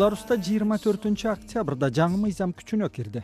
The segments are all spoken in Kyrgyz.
Беларуста 24 октябрда жаңы мыйзам күчүнө кирди.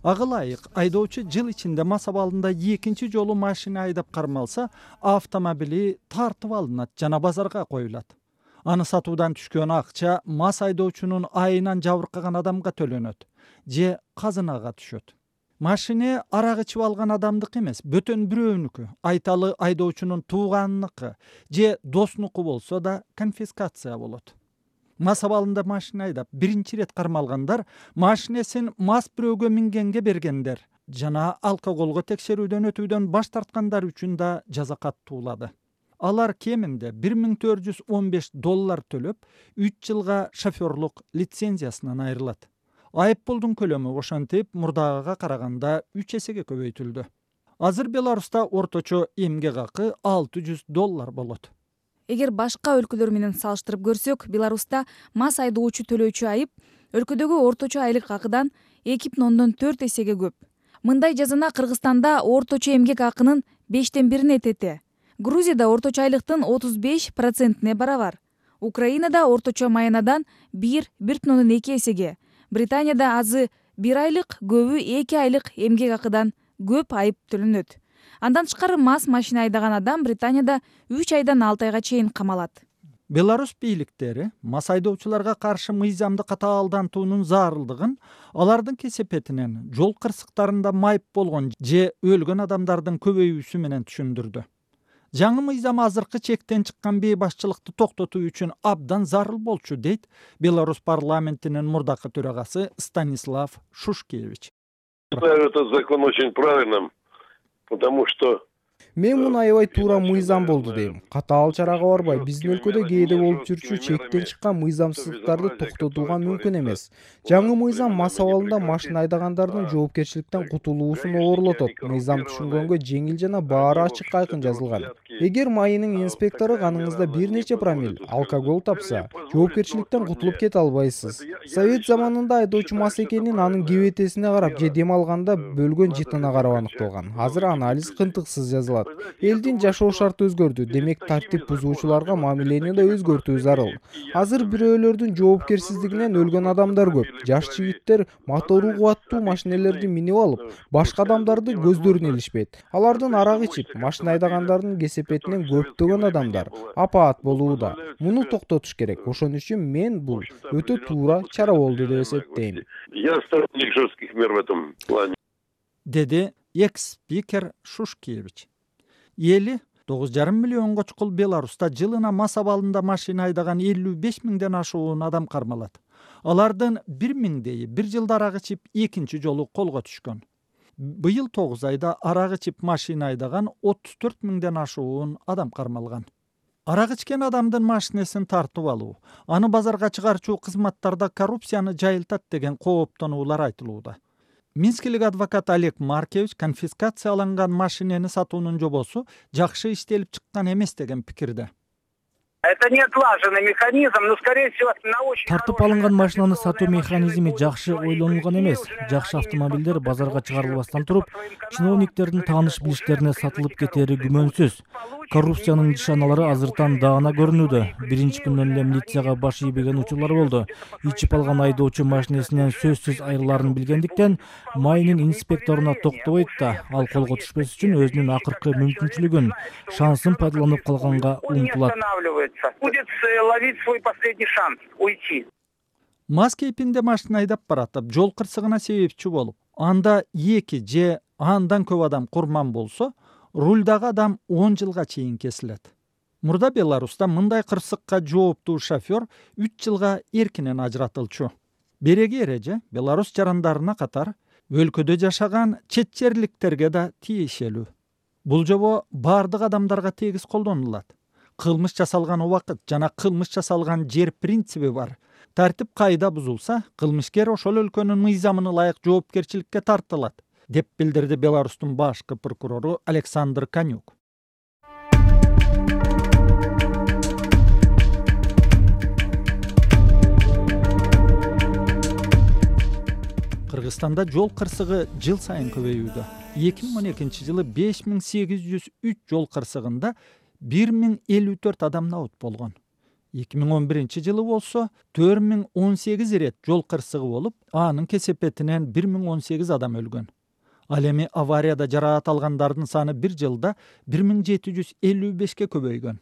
Ага ылайык айдоочу жыл ичинде мас абалында экинчи жолу машина айдап кармалса, автомобили тартып алынат жана базарга коюлат. Аны сатуудан түшкөн акча мас айдоочунун айынан жабыркаган адамга төлөнөт же казынага түшөт. Машина арак ичип алган адамдыкы эмес, бөтөн бирөөнүкү, айталы айдоочунун тууганыныкы же доснуку болсо да конфискация болот. Мас абалында машина айдап биринчи ирет кармалгандар машинесин мас бирөөгө мингенге бергендер жана алкоголго текшерүүдөн өтүүдөн баш тарткандар үчүн да жаза каттуулады. Алар кеминде $1415 төлөп, 3 жылга шоферлук лицензиясынан айрылат. Айыппулдун көлөмү ошентип мурдагыга караганда 3 эсеге көбөйтүлдү. Азыр Беларуста орточо эмгек акы $600 болот. Эгер башка өлкөлөр менен салыштырып көрсөк, Беларуста мас айдоочу төлөөчү айып өлкөдөгү орточо айлык акыдан 2,4 эсеге көп. Мындай жазана Кыргызстанда орточо эмгек акынын 1/5 этете. Грузияда орточо айлыктын 35%-не барабар. Украинада орточо маянадан 1,2 эсеге. Британияда азы 1 айлык, көбү 2 айлык эмгек акыдан көп айып төлөнөт. Андан тышкары мас машина айдаган адам Британияда 3 айдан 6 айга чейин камалат. Беларусь бийликтери мас айдоочуларга каршы мыйзамды катаалдантуунун зарылдыгын алардын кесепетинен жол кырсыктарында майып болгон же өлгөн адамдардын көбөйүүсү менен түшүндүрдү. Жаңы мыйзам азыркы чектен чыккан бейбашчылыкты токтотуу үчүн абдан зарыл болчу, дейт Беларусь парламентинин мурдакы төрагасы Станислав Шушкевич. Этот закон очень правильным, потому что мен муну аябай туура мыйзам болду дейм. Катаал чарага барбай, биздин өлкөдө кээде болуп жүрчү чектен чыккан мыйзамсыздыктарды токтотууга мүмкүн эмес. Жаңы мыйзам мас абалында машина айдагандардын жоопкерчиликтен кутулуусун оорулотот. Мыйзам түшүнгөнгө жеңил жана баары ачык айкын жазылган. Эгер майынын инспектору каныңызда бир нече промил алкоголь тапса, жоопкерчиликтен кутулуп кете албайсыз. Совет заманында айдоочу мас экенин анын кебетесине карап же дем алганда бөлгөн жытына карап аныкталган. Азыр анализ кынтыксыз жазылат. Элдин жашоо шарты өзгөрдү, демек тартип бузуучуларга мамилени да өзгөртүү зарыл. Азыр бирөөлөрдүн жоопкерсиздигинен өлгөн адамдар көп. Жаш жигиттер мотору кубаттуу машинелерди минип алып, башка адамдарды көздөрүнө илишпейт. Алардын арак ичип, машина айдагандардын кесепетинен көптөгөн адамдар апаат болууда. Муну токтотуш керек. Ошон үчүн мен бул өтө туура чара болду деп эсептейм. я сторонник жестких мер в этом плане. Деди экс-спикер Шушкевич. Эли 9,5 миллионго чукул Беларуста жылына мас абалында машина айдаган 55 миңден ашуун адам кармалат. Алардын 1 миңдейи 1 жылда арак ичип экинчи жолу колго түшкөн. Быйыл 9 айда арак ичип машина айдаган 34 миңден ашуун адам кармалган. Арак ичкен адамдын машинесин тартып алуу, аны базарга чыгарчу кызматтарда коррупцияны жайылтат деген кооптонуулар айтылууда. Минскилик адвокат Олег Маркевич конфискацияланган машинени сатуунун жобосу жакшы иштелип чыккан эмес деген пикирде. Это не отлаженный механизм, но, скорее всего, на очень... Тартып алынган машинаны сатуу механизми жакшы ойлонулган эмес. Жакшы автомобилдер базарга чыгарылбастан туруп, чиновниктердин тааныш билиштерине сатылып кетери күмөнсүз. Коррупциянын нишаналары азыртан даана көрүнүүдө. Биринчи күндөн эле милицияга баш ийбеген учурлар болду. Ичип алган айдоочу машинесинен сөзсүз айрыларын билгендиктен майынын инспекторуна токтобойт да, ал колго түшпөс үчүн өзүнүн акыркы мүмкүнчүлүгүн, шансын пайдаланып калганга умтулат. Будет ловить свой последний шанс уйти. Мас кейпинде машина айдап баратып, жол кырсыгына себепчи болуп, анда 2 же андан көп адам курман болсо, рульдагы адам 10 жылга чейин кесилет. Мурда Беларуста мындай кырсыкка жооптуу шофер 3 жылга эркинен ажыратылчу. Береги эреже Беларусь жарандарына катар өлкөдө жашаган чет жерликтерге да тиешелүү. Бул жобо бардык адамдарга тегиз колдонулат. Кылмыш жасалган убакыт жана кылмыш жасалган жер принциби бар. Тартип кайда бузулса, кылмышкер ошол өлкөнүн мыйзамына ылайык жоопкерчиликке тартылат, деп билдирди Беларустун башкы прокурору Александр Конюк. Кыргызстанда жол кырсыгы жыл сайын көбөйүүдө. 2012 жылы 5803 жол кырсыгында 1054 адам наут болгон. 2011-жылы болсо 4018 ирет жол кырсыгы болуп, анын кесепетинен 1018 адам өлгөн. Ал эми аварияда жараат алгандардын саны бир жылда 1755ке көбөйгөн.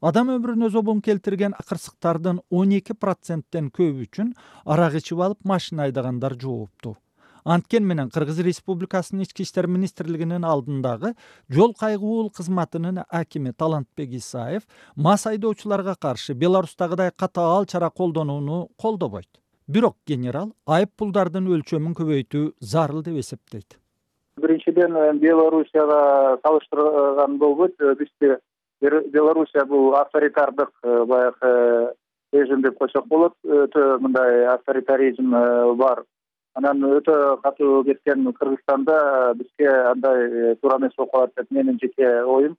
Адам өмүрүнө зобун келтирген кырсыктардын 12%тен көбү үчүн арак ичип алып машина айдагандар жоопту. Анткен менен Кыргыз Республикасынын Ички иштер министрлигинин алдындагы жол кайгуул кызматынын акими Талантбек Исаев мас айдоочуларга каршы Беларустагыдай катаал чара колдонууну колдобойт. Бирок генерал айып пулдардын өлчөмүн көбөйтүү зарыл деп эсептейт. Биринчиден, Белоруссияга салыштырган болбойт. Бизде Белоруссия бул авторитардык баягы режим деп койсок болот. Өтө мындай авторитаризм бар. Анан өтө катуу кеткен Кыргызстанда бизге андай туура эмес болуп калат деп менин жеке оюм.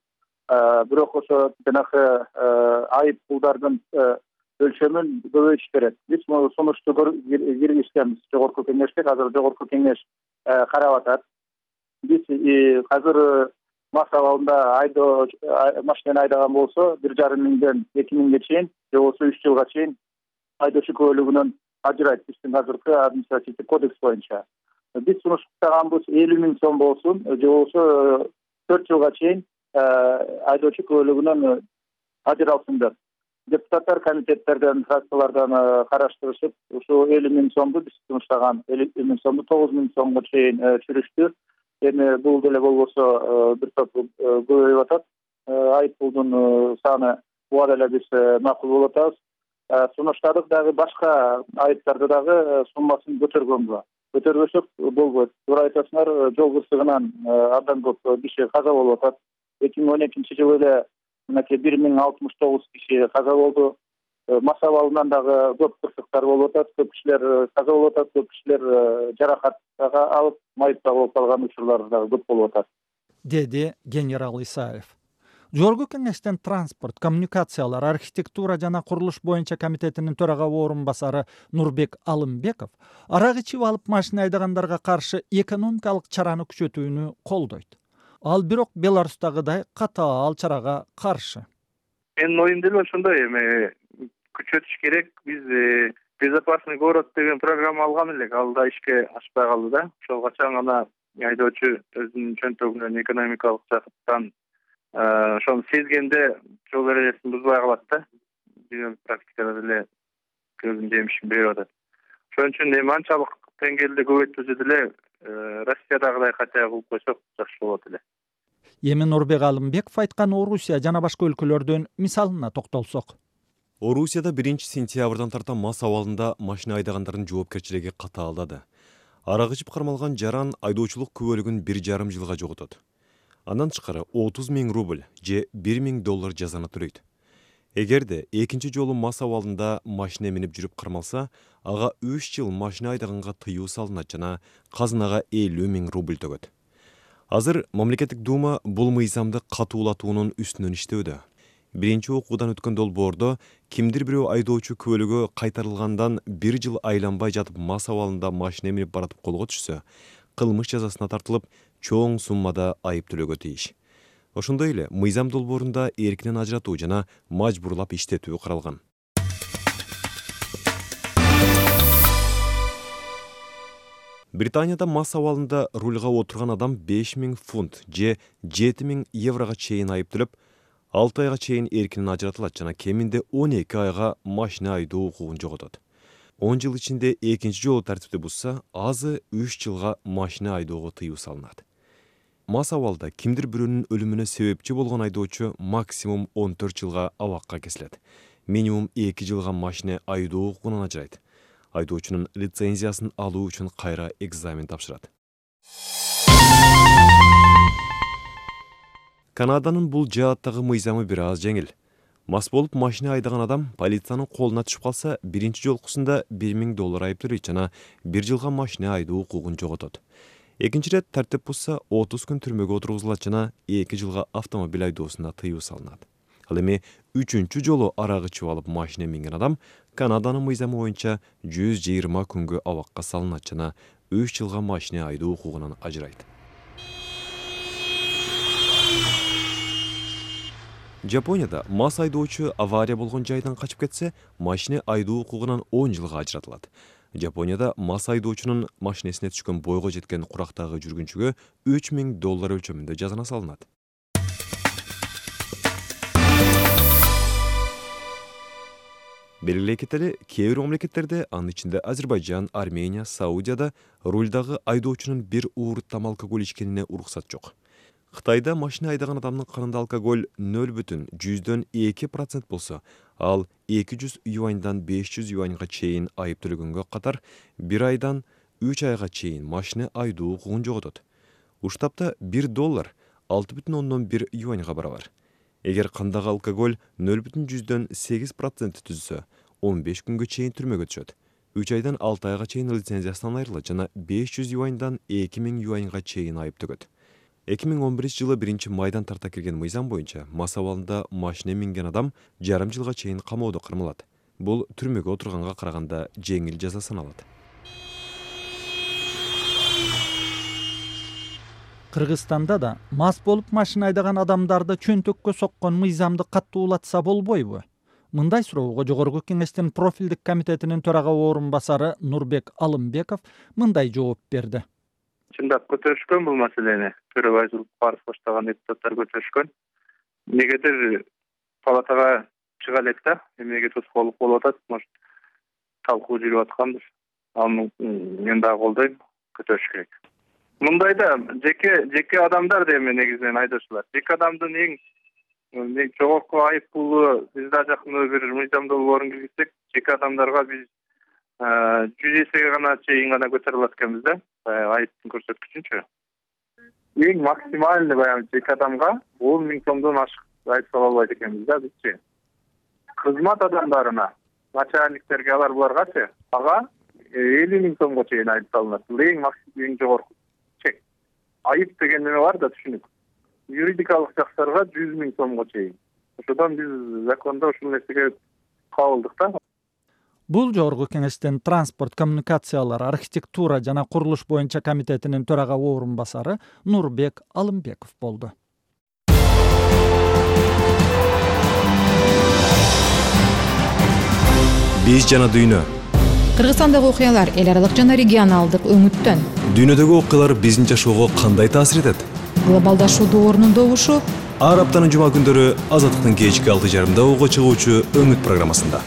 Бирок ошо жанагы айып пулдардын өлчөмүн көбөйтүш керек. Биз сунушту киргизгенбиз жогорку кеңешке, азыр жогорку кеңеш карап атат. Биз азыр мас абалында машинени айдаган болсо 1,5 миңден 2 миңге чейин, же болбосо 3 жылга чейин айдоочу күбөлүгүнөн ажырайт биздин азыркы административдик кодекс боюнча. Биз сунуштаганбыз 50 миң сом болсун, же болбосо 4 жылга чейин айдоочу күбөлүгүнөн ажыралсын деп. Депутаттар комитеттерден, фракциялардан караштырышып, ушул 50 миң сомду биз сунуштаган 50 миң сомду 9 миң сомго чейин чүрүштү. Эми бул деле болбосо бир топ көбөйүп атат. Айып пулдун саны буга деле биз макул болуп атабыз. Сунуштадык дагы башка айыптарды дагы суммасын көтөргөнгө. Көтөрбөсөк болбойт. Туура айтасыңар, жол кырсыгынан абдан көп киши каза болуп атат. 2012-жылы эле мынакей 1069 киши каза болду. Мас абалынан дагы көп кырсыктар болуп атат. Көп кишилер каза болуп атат, көп кишилер жаракат алып майыпта болуп калган учурлар дагы көп болуп атат, деди генерал Исаев. Жогорку кеңештен транспорт, коммуникациялар, архитектура жана курулуш боюнча комитетинин төрага орун басары Нурбек Алымбеков арак ичип алып машина айдагандарга каршы экономикалык чараны күчөтүүнү колдойт. Ал бирок Беларустагыдай катаал чарага каршы. Менин оюм деле ошондой, эми күчөтүш керек. Биз безопасный город деген программа алган элек, ал да ишке ашпай калды да. Ошол качан гана айдоочу өзүнүн чөнтөгүнөн экономикалык жактан ошону сезгенде жол эрежесин бузбай калат да. Дүйнөлүк практикада деле көзүн жемишин берип атат. Ошон үчүн эми анчалык деңгээлде көбөйтүүсү деле Россиядагыдай хотя кылып койсок жакшы болот эле. Эми Нурбек Алымбеков айткан Орусия жана башка өлкөлөрдүн мисалына токтолсок. Орусияда 1-сентябрдан тарта мас абалында машина айдагандардын жоопкерчилиги катаалдады. Арак ичип кармалган жаран айдоочулук күбөлүгүн 1,5 жылга жоготот. Андан тышкары 30 миң рубль же 1 миң доллар жазаны төлөйт. Эгерде экинчи жолу мас абалында машина минип жүрүп кармалса, ага 3 жыл машина айдаганга тыюу салынат жана казынага 50 миң рубль төгөт. Азыр мамлекеттик дума бул мыйзамды катуулатуунун үстүнөн иштөөдө. Биринчи окуудан өткөн долбоордо кимдир бирөө айдоочу күбөлүгү кайтарылгандан 1 жыл айланбай жатып мас абалында машина минип баратып колго түшсө, кылмыш жазасына тартылып, чоң суммада айып төлөгө тийиш. Ошондой эле мыйзам долбоорунда эркинен ажыратуу жана мажбурлап иштетүү каралган. Британияда мас абалында рульга отурган адам 5 миң фунт же 7 миң еврога чейин айып төлөп, 6 айга чейин эркинен ажыратылат жана кеминде 12 айга машина айдоо укугун жоготот. 10 жыл ичинде экинчи жолу тартипти бузса, азы 3 жылга машина айдоого тыюу салынат. Мас абалда кимдир бирөөнүн өлүмүнө себепчи болгон айдоочу максимум 14 жылга абакка кесилет. Минимум 2 жылга машина айдоо укугунан ажырайт. Айдоочунун лицензиясын алуу үчүн кайра экзамен тапшырат. Канаданын бул жааттагы мыйзамы бир аз жеңил. Мас болуп машина айдаган адам полициянын колуна түшүп калса, биринчи жолкусунда 1 миң доллар айып төлөйт жана 1 жылга машина айдоо укугун жоготот. Экинчи рет тартип бузса 30 күн түрмөгө отургузулат жана 2 жылга автомобиль айдоосуна тыюу салынат. Ал эми 3-чү жолу арак ичип алып машина минген адам Канаданын мыйзамы боюнча 120 күнгө абакка салынат жана 3 жылга машина айдоо укугунан ажырайт. Жапонияда мас айдоочу авария болгон жайдан качып кетсе, машина айдоо укугунан 10 жылга ажыратылат. Жапонияда мас айдоочунун машинесине түшкөн бойго жеткен курактагы жүргүнчүгө $3000 өлчөмүндө жазана салынат. Белгилей кетели, кээ бир мамлекеттерде, анын ичинде Азербайжан, Армения, Саудияда рулдагы айдоочунун бир уурттам алкоголь ичкенине уруксат жок. Кытайда машина айдаган адамдын канында алкоголь 0,2% болсо, ал 200 юаньдан 500 юаньга чейин айып төлөгөнгө катар, 1 айдан 3 айга чейин машина айдоо укугун жоготот. Уштапта $1 6,1 юаньга барабар. Эгер кандагы алкоголь 0,8% түзсө, 15 күнгө чейин түрмөгө түшөт. 3 айдан 6 айга чейин лицензиясынан айрылат жана 500 юаньдан 2000 юаньга чейин айып төгөт. 2011 жылы 1-майдан тарта кирген мыйзам боюнча мас абалында машина минген адам жарым жылга чейин камоодо кармалат. Бул түрмөгө отурганга караганда жеңил жаза саналат. Кыргызстанда да мас болуп машина айдаган адамдарды чөнтөккө соккон мыйзамды каттуулатса болбойбу? Мындай суроого Жогорку Кеңештин профилдик комитетинин төрага орун басары Нурбек Алымбеков мындай жооп берди. Чындап көтөрүшкөн бул маселени. Төрөбай Зулукпаров баштаган депутаттар көтөрүшкөн. Негедир палатага чыга элек да, эмнеге тоскоолдук болуп атат, может талкуу жүрүп аткандыр. Аны мен дагы колдойм, көтөрүш керек. Мындайда жеке адамдар деме негизинен айдоочулар. Жеке адамдын эң жогорку айып пулу бизде жакын бир мыйзамда борун киргизсек, жеке адамдарга биз 100 эсеге гана чейин гана көтөрө алат экенбиз да, айыптын көрсөткүчүнчү. Эң максимальный баягы жеке адамга 10 000 сомдон ашык айып сала албайт экенбиз да бизчи. Кызмат адамдарына, начальниктерге алар буларгачы ага 50 000 сомго чейин айып салынат. Бул эң жогорку чек. Айып деген неме бар да, түшүнүк. Юридикалык жактарга 100 000 сомго чейин. Ошодон биз закондо ушул нерсеге кабылдык да. Бул Жогорку Кеңештин транспорт, коммуникациялар, архитектура жана курулуш боюнча комитетинин төрага орун басары Нурбек Алымбеков болду. Биз жана дүйнө. Кыргызстандагы окуялар эл аралык жана регионалдык өңүттөн. Дүйнөдөгү окуялар биздин жашоого кандай таасир этет? Глобалдашуу доорунун добушу ар аптанын жума күндөрү Азаттыктын кечки 6:30 угу чыгуучу Өңүт программасында.